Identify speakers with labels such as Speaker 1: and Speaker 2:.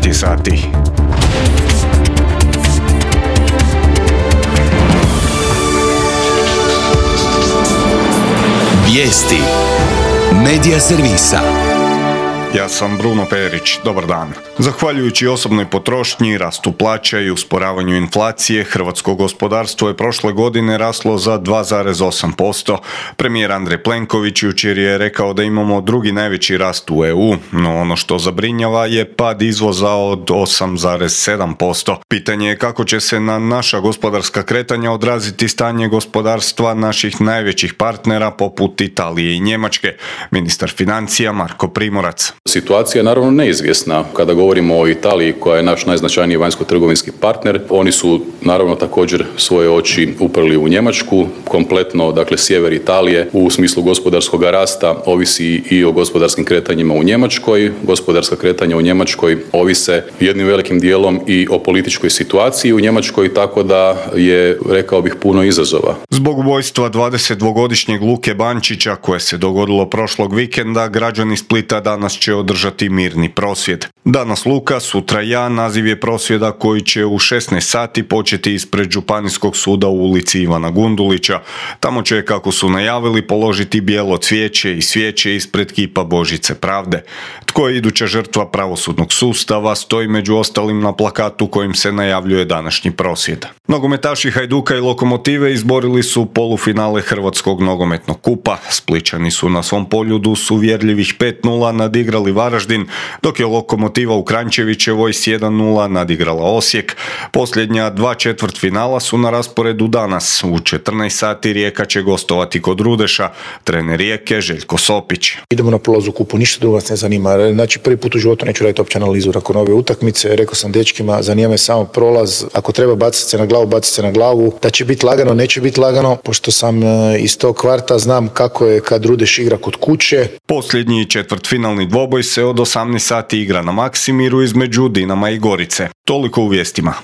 Speaker 1: 9 sati.
Speaker 2: Vijesti Medija servisa.
Speaker 1: Ja sam Bruno Perić, dobar dan. Zahvaljujući osobnoj potrošnji, rastu plaća i usporavanju inflacije, hrvatsko gospodarstvo je prošle godine raslo za 2,8%. Premijer Andrej Plenković jučer je rekao da imamo drugi najveći rast u EU, no ono što zabrinjava je pad izvoza od 8,7%. Pitanje je kako će se na naša gospodarska kretanja odraziti stanje gospodarstva naših najvećih partnera poput Italije i Njemačke. Ministar financija Marko Primorac.
Speaker 3: Situacija je naravno neizvjesna. Kada govorimo o Italiji, koja je naš najznačajniji vanjsko-trgovinski partner, oni su naravno također svoje oči uprli u Njemačku. Kompletno, dakle, sjever Italije u smislu gospodarskog rasta ovisi i o gospodarskim kretanjima u Njemačkoj. Gospodarska kretanja u Njemačkoj ovise jednim velikim dijelom i o političkoj situaciji u Njemačkoj, tako da je, rekao bih, puno izazova.
Speaker 1: Zbog ubojstva 22-godišnjeg Luke Bančića, koje se dogodilo prošlog vikenda, građani Splita danas će održati mirni prosvjed. Danas Luka, sutra ja, naziv je prosvjeda koji će u 16 sati početi ispred Županijskog suda u ulici Ivana Gundulića. Tamo će, kako su najavili, položiti bijelo cvijeće i svijeće ispred kipa Božice pravde. Tko je iduća žrtva pravosudnog sustava stoji među ostalim na plakatu kojim se najavljuje današnji prosvjed. Nogometaši Hajduka i Lokomotive izborili su polufinale Hrvatskog nogometnog kupa. Splićani su na svom Poljudu s uvjerljivih 5:0 nadigrali Varaždin, dok je Lokomotiva u Kranjčevićevoj s 1:0 nadigrala Osijek. Posljednja 2 četvrtfinala su na rasporedu danas. U 14 sati Rijeka će gostovati kod Rudeša. Trener Rijeke Željko Sopić.
Speaker 4: Idemo na prolaz u kupu, ništa drugo nas ne zanima. Znači, prvi put u životu neću raditi opće analizu nakon ove utakmice. Rekao sam dečkima, zanima me samo prolaz. Ako treba baciti se na glavu, baciti se na glavu. Da će biti lagano, neće biti lagano. Pošto sam iz tog kvarta, znam kako je kad Rudeš igra kod kuće.
Speaker 1: Posljednji četvrtfinalni dvoboj se od 18 sati igra na Maksimiru između Dinama i Gorice. Toliko u vijestima.